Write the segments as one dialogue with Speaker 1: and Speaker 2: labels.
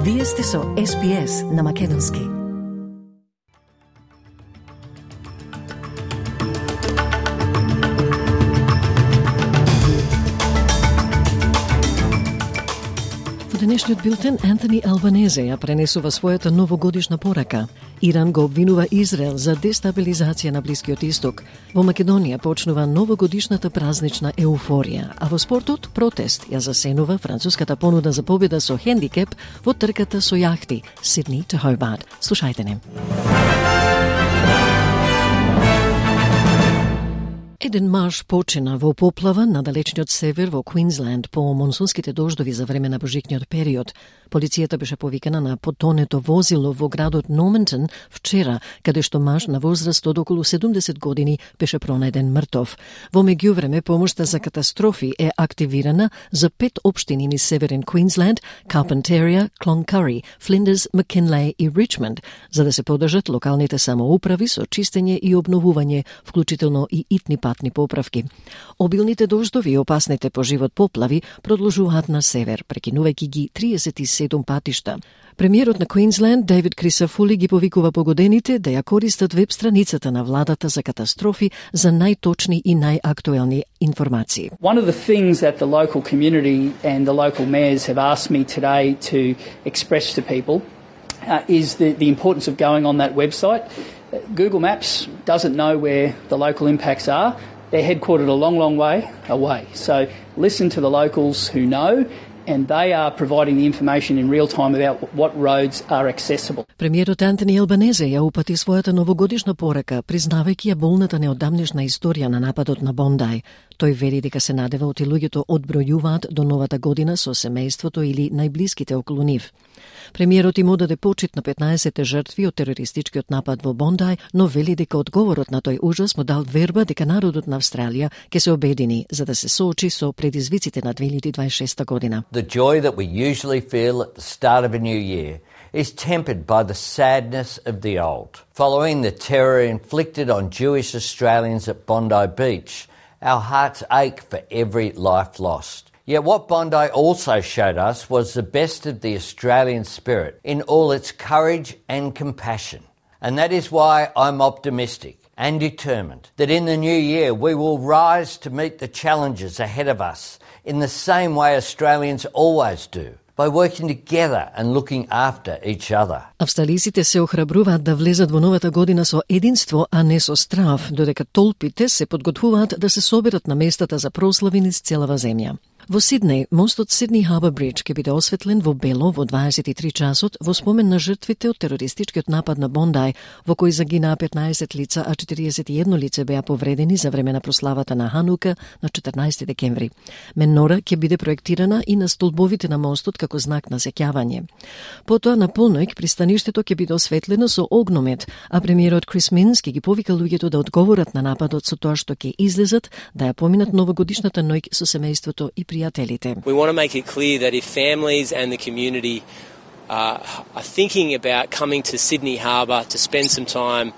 Speaker 1: Вие сте со SPS на Македонски. Во денешниот билтен Антони Албанезе ја пренесува својата новогодишна порака. Иран го обвинува Израел за дестабилизација на Блискиот Исток. Во Македонија почнува новогодишната празнична еуфорија, а во спортот протест ја засенува француската понуда за победа со хендикеп во трката со јахти Сидни to Hobart. Слушајте не. Еден маж почина во поплава на далечниот север во Квинсленд по монсунските дождови за време на божикниот период. Полицијата беше повикана на потонето возило во градот Нормантон вчера, каде што маж на возраст од околу 70 години беше пронајден мртов. Во меѓувреме помошта за катастрофи е активирана за 5 општини низ северен Квинсленд, Carpentaria, Cloncurry, Flinders, McKinley и Richmond, за да се подржат локалните самоуправи со чистење и обновување, вклучително и итни патни поправки. Обилните дождови и опасните по живот поплави продолжуваат на север, прекинувајќи ги 37 патишта. Премиерот на Квинсленд, Дейвид Крисафули, ги повикува погодените да ја користат веб страницата на владата за катастрофи за најточни и најактуелни информации.
Speaker 2: One of the things that the local community and the local mayors have asked me today to express to people is the importance of going on that website. Google Maps doesn't know where the local impacts are. They're headquartered a long, long way away. So listen to the locals who know, and they are providing the information in real time about what roads are accessible.
Speaker 1: Премиерот Антони Албанезе ја упати својата новогодишна порака, признавајќи ја болната неодамнешна историја на нападот на Бондај. Тој вери дека се надева оти луѓето одбројуваат до новата година со семејството или најблиските околу нив. Премиерот им одаде почит на 15 жртви од терористичкиот напад во Бондај, но вели дека одговорот на тој ужас му дал верба дека народот на Австралија ќе се обедини за да се соочи со предизвиците на 2026 година.
Speaker 3: The joy that we usually feel at the start of a new year is tempered by the sadness of the old. Following the terror inflicted on Jewish Australians at Bondi Beach, our hearts ache for every life lost. Yet what Bondi also showed us was the best of the Australian spirit in all its courage and compassion. And that is why I'm optimistic and determined that in the new year we will rise to meet the challenges ahead of us in the same way Australians always do, by working together and looking after each other.
Speaker 1: Австралиците се охрабруваат да влезат во новата година со единство, а не со страв, додека толпите се подготвуваат да се соберат на местата за прослави низ целава земја. Во Сиднеј, мостот Сидни Харбор Бридж ќе биде осветлен во бело во 23 часот во спомен на жртвите од терористичкиот напад на Бондај, во кој загинаа 15 лица, а 41 лице беа повредени за време на прославата на Ханука на 14 декември. Менора ќе биде проектирана и на столбовите на мостот како знак на сеќавање. Потоа на полноќ пристаништето ќе биде осветлено со огномет, а премиерот Крис Минс ќе ги повика луѓето да одговорат на нападот со тоа што ќе излезат да ја поминат новогодишната ноќ со семејството и пријателите.
Speaker 4: We want to make it clear that if families and the community are thinking about coming to Sydney Harbour to spend some time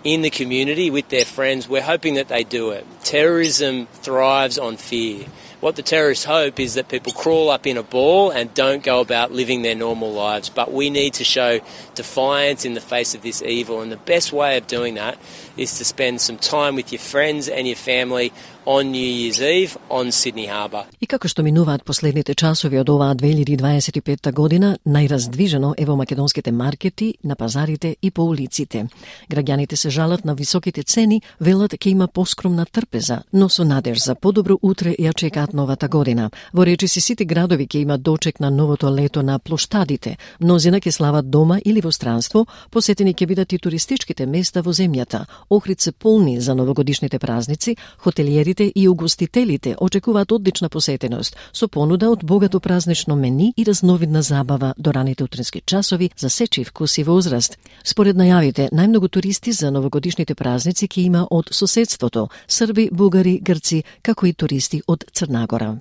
Speaker 4: in the community with their friends, we're hoping that they do it. Terrorism thrives on fear. What the terrorists hope is that people crawl up in a ball and don't go about living their normal lives. But we need to show defiance in the face of this evil. And the best way of doing that is to spend some time with your friends and your family on New Year's Eve on Sydney Harbour.
Speaker 1: И како што минуваат последните часови од оваа 2025 година, најраздвижено е во македонските маркети, на пазарите и по улиците. Граѓаните се жалат на високите цени, велат ќе има поскромна трпеза, но со надеж за подобро утре ја чекаат новата година. Во речиси сите градови ќе имат дочек на новото лето на плоштадите. Мнозина ќе слават дома или во странство, посетени ќе бидат и туристичките места во земјата. Охрид се полни за новогодишните празници, хотелиерите и угостителите очекуваат одлична посетеност, со понуда од богато празнично мени и разновидна забава до раните утрински часови за сечи вкус и возраст. Според најавите, најмногу туристи за новогодишните празници ќе има од соседството, срби, бугари, грци, како и туристи од Црнагора.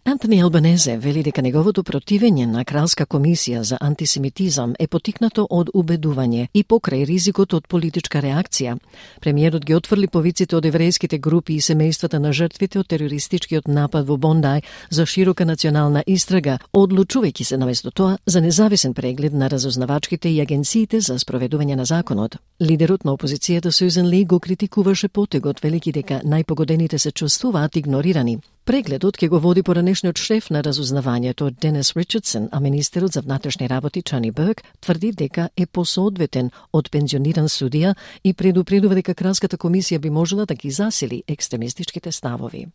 Speaker 1: Антони Албанезе вели дека неговото противење на Кралска комисија за антисемитизам е потикнато од убедување и покрај ризикот од политичка реакција. Премиерот ги отфрли повиците од еврејските групи и семејствата семејствата на жртвите од терористичкиот напад во Бондај за широка национална истрага, одлучувајќи се наместо тоа за независен преглед на разузнавачките и агенциите за спроведување на законот. Лидерот на опозицијата Сюзан Ли го критикуваше потегот, велики дека најпогодените се чувствуваат игнорирани. Прегледот ќе го води поранешниот шеф на разузнавањето Денис Ричардсон, а министерот за внатрешни работи Чани Бърк тврди дека е посоодветен од пензиониран судија и предупредува дека Кралската комисија би можела да ги засили екстремистичките ставови.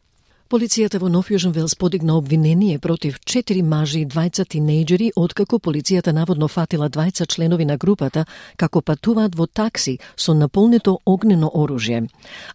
Speaker 1: Полицијата во Нов Јужен Велс подигна обвинение против 4 мажи и 2 тинејџери, откако полицијата наводно фатила 2 членови на групата како патуваат во такси со наполнето огнено оружје.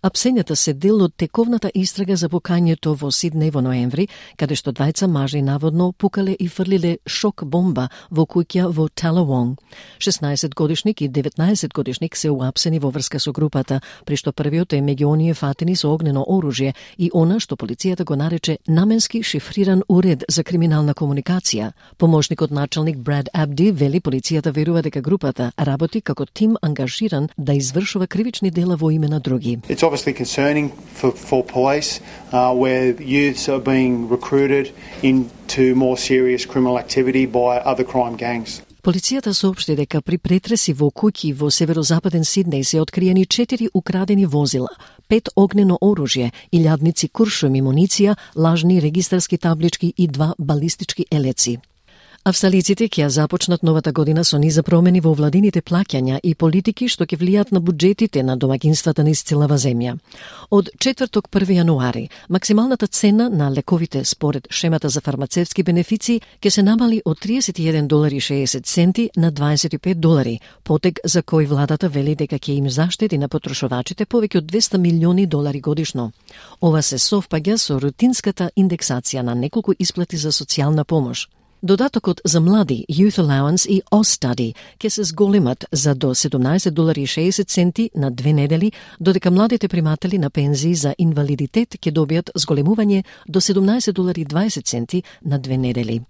Speaker 1: Апсењата се дел од тековната истрага за пукањето во Сиднеј во ноември, каде што 2 мажи наводно пукале и фрлиле шок бомба во куќа во Талавонг. 16-годишник и 19-годишник се уапсени во врска со групата, при што првиот е меѓу оние фатени со огнено оружје и она што полицијата го нарече наменски шифриран уред за криминална комуникација. Помошникот началник Брад Абди вели полицијата верува дека групата работи како тим ангажиран да извршува кривични дела во име на други.
Speaker 5: It's obviously concerning for police where youths are being recruited into more serious criminal activity by other crime gangs.
Speaker 1: Полицијата соопшти дека при претреси во куќи во северозападен Сиднеј се откриени 4 украдени возила, 5 огнено оружје, илјадници куршуми, муниција, лажни регистарски таблички и 2 балистички елеци. Австралиците ќе започнат новата година со низа промени во владините плаќања и политики што ќе влијат на буџетите на домаќинствата на целава земја. Од четврток 1 јануари, максималната цена на лековите според шемата за фармацевтски бенефиции ќе се намали од $31.60 на $25, потег за кој владата вели дека ќе им заштеди на потрошувачите повеќе од $200 милиони годишно. Ова се совпаѓа со рутинската индексација на неколку исплати за социјална помош. Додатокот за млади, Youth Allowance и Austudy ќе се зголемат за до $17.60 на 2 недели, додека младите приматели на пензии за инвалидитет ќе добијат зголемување до $17.20 на 2 недели.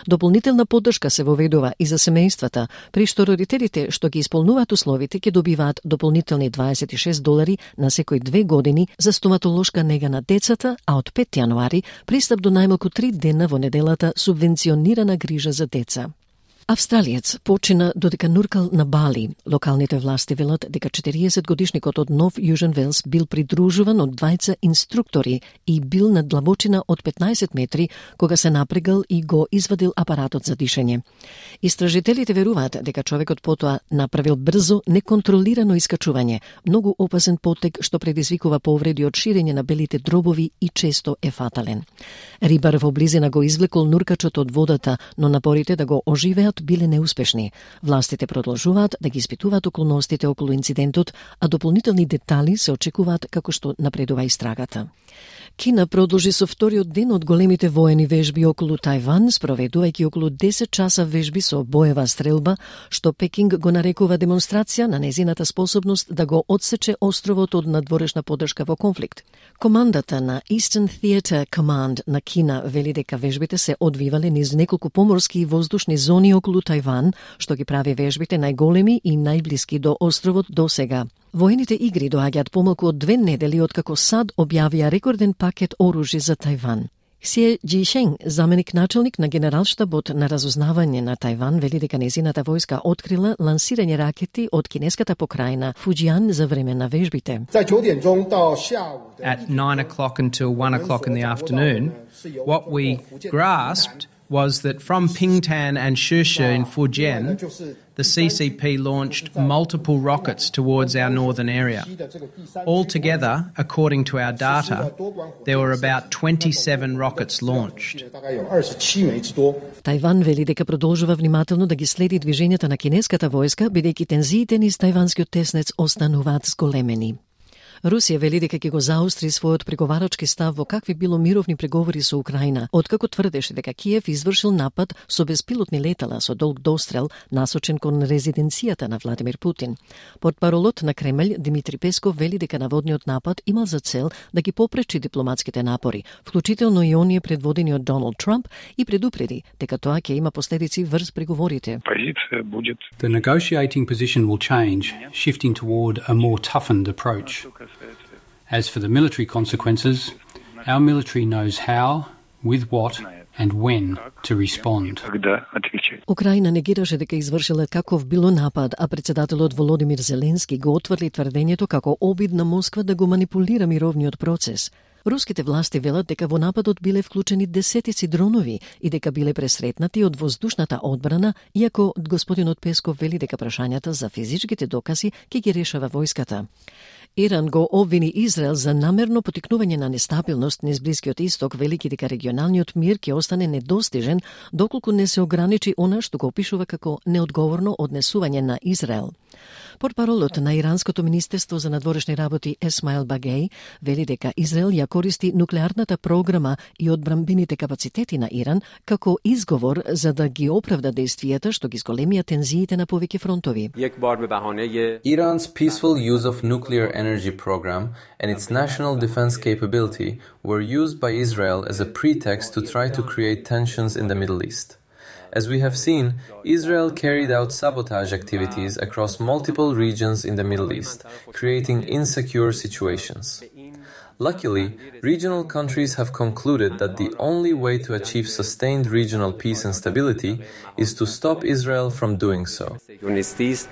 Speaker 1: Дополнителна поддршка се воведува и за семејствата, при што родителите што ги исполнуваат условите ќе добиваат дополнителни $26 на секој 2 години за стоматолошка нега на децата, а од 5 јануари пристап до најмалку 3 дена во неделата субвенционирана грижа за деца. Австралиец почина додека нуркал на Бали. Локалните власти велат дека 40-годишникот од Нов Јужен Велс бил придружуван од 2 инструктори и бил на длабочина од 15 метри кога се напрегал и го извадил апаратот за дишење. Истражителите веруваат дека човекот потоа направил брзо, неконтролирано искачување, многу опасен потег што предизвикува повреди од ширење на белите дробови и често е фатален. Рибар во близина го извлекол нуркачот од водата, но напорите да го оживеат биле неуспешни. Властите продолжуваат да ги испитуваат околностите околу инцидентот, а дополнителни детали се очекуваат како што напредува истрагата. Кина продолжи со вториот ден од големите воени вежби околу Тајван, спроведувајќи околу 10 часа вежби со боева стрелба, што Пекинг го нарекува демонстрација на незината способност да го одсече островот од надворешна поддршка во конфликт. Командата на Eastern Theater Command на Кина вели дека вежбите се одвивале низ неколку поморски и воздушни зони околу Тајван, што ги прави вежбите најголеми и најблиски до островот до сега. Воените игри доаѓаат помалку од 2 недели откако САД објавија рекорден пакет оружје за Тајван. Ксие Џишен, заменик началник на генералштабот на разузнавање на Тајван, вели дека незината војска открила лансирање ракети од кинеската покрајна Фуџијан за време на вежбите.
Speaker 6: At 9 o'clock until 1 o'clock in the afternoon, what we grasped was that from Pingtan and Shushu in Fujian, the CCP launched multiple rockets towards our northern area. Altogether, according to our data, there were about 27 rockets launched.
Speaker 1: Тајван вели дека продолжува внимателно да ги следи движењата на кинеската војска, бидејќи тензиите низ тајванскиот теснец остануваат зголемени. Русија вели дека ќе го заостри својот преговарачки став во какви било мировни преговори со Украина, откако тврдеше дека Киев извршил напад со безпилотни летала со долг дострел насочен кон резиденцијата на Владимир Путин. Портпаролот на Кремљ Димитри Песков вели дека наводниот напад имал за цел да ги попречи дипломатските напори, вклучително и оние предводени од Доналд Трамп, и предупреди дека тоа ќе има последици врз преговорите.
Speaker 7: The negotiating position will change, shifting toward a more toughened approach. As for the military consequences, Our military knows how, with what and when to respond.
Speaker 1: Украина негираше дека извршила каков било напад, а председателот Володимир Зеленски го отврли тврдењето како обид на Москва да го манипулира мировниот процес. Руските власти велат дека во нападот биле вклучени десетици дронови и дека биле пресретнати од воздушната одбрана, иако господинот Песков вели дека прашањата за физичките докази ќе ги решава војската. Иран го обвини Израел за намерно потикнување на нестабилност низ Блискиот Исток, велики дека регионалниот мир ќе остане недостижен доколку не се ограничи она што го опишува како неодговорно однесување на Израел. Портпаролот на Иранското министерство за надворешни работи Есмаил Багеј вели дека Израел ја користи нуклеарната програма и одбранбените капацитети на Иран како изговор за да ги оправда действијата што ги зголемија тензиите на повеќе фронтови.
Speaker 8: Iran's peaceful use of nuclear energy program and its national defense capability were used by Israel as a pretext to try to create tensions in the Middle East. As we have seen, Israel carried out sabotage activities across multiple regions in the Middle East, creating insecure situations. Luckily, regional countries have concluded that the only way to achieve sustained regional peace and stability is to stop Israel from doing so.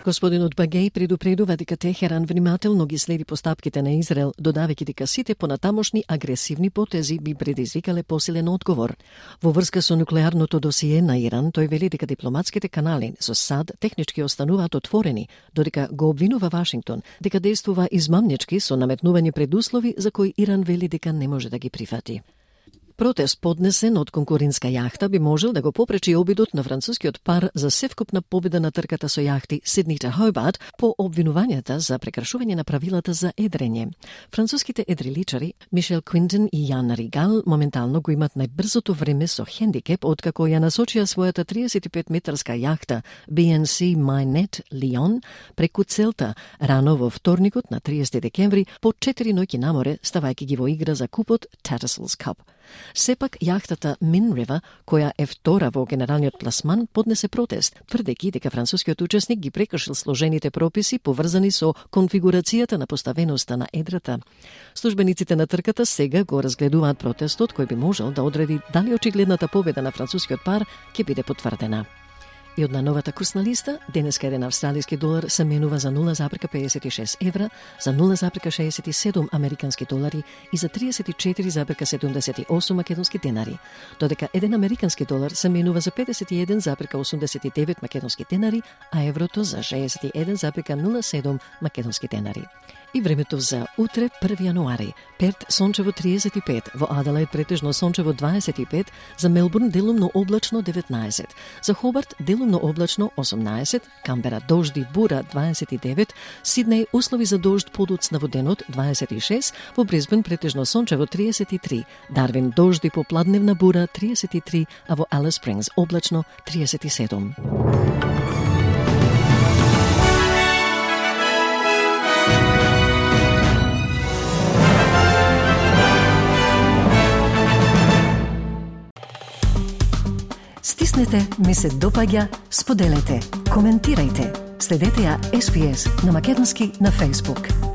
Speaker 1: Господинот Багеј предупредува дека Техеран внимателно ги следи постапките на Израел, додавајќи дека сите понатамошни агресивни потези би предизвикале посилен одговор. Во врска со нуклеарното досие на Иран, тој вели дека дипломатските канали со САД технички остануваат отворени, додека го обвинува Вашингтон дека действува измамнички со наметнување предуслови за кои Иран вели дека не може да ги прифати. Протест поднесен од конкурентска јахта би можел да го попречи обидот на францускиот пар за севкупна победа на трката со јахти Сидни Хобарт по обвинувањата за прекршување на правилата за едрење. Француските едриличари Мишел Квинтен и Јан Ригал моментално го имат најбрзото време со хендикеп откако ја насочија својата 35-метарска јахта BNC Майнет Лион преку целта рано во вторникот на 30 декември по 4 ноќи на море, ставајќи ги во игра за купот Tattersalls Cup. Сепак, јахтата Min River, која е втора во генералниот пласман, поднесе протест, тврдејќи дека францускиот учесник ги прекршил сложените прописи поврзани со конфигурацијата на поставеноста на едрата. Службениците на трката сега го разгледуваат протестот кој би можел да одреди дали очигледната победа на францускиот пар ќе биде потврдена. И од новата курсна листа, денеска еден австралиски долар се менува за 0,56 евра, за 0,67 американски долари и за 34,78 македонски денари, додека еден американски долар се менува за 51,89 македонски денари, а еврото за 61,07 македонски денари. И времето за утре, 1 јануари. Перт сончево 35, во Аделаид претежно сончево 25, за Мелбурн делумно облачно 19, за Хобарт делумно облачно 18, Камбера дожди бура 29, Сиднеј услови за дожд подоцна во денот 26, во Брисбен претежно сончево 33, Дарвин дожди по пладневна бура 33, а во Алис Спрингс облачно 37. Стиснете, ми се допаѓа, споделете, коментирајте. Следете ја SPS на македонски на Facebook.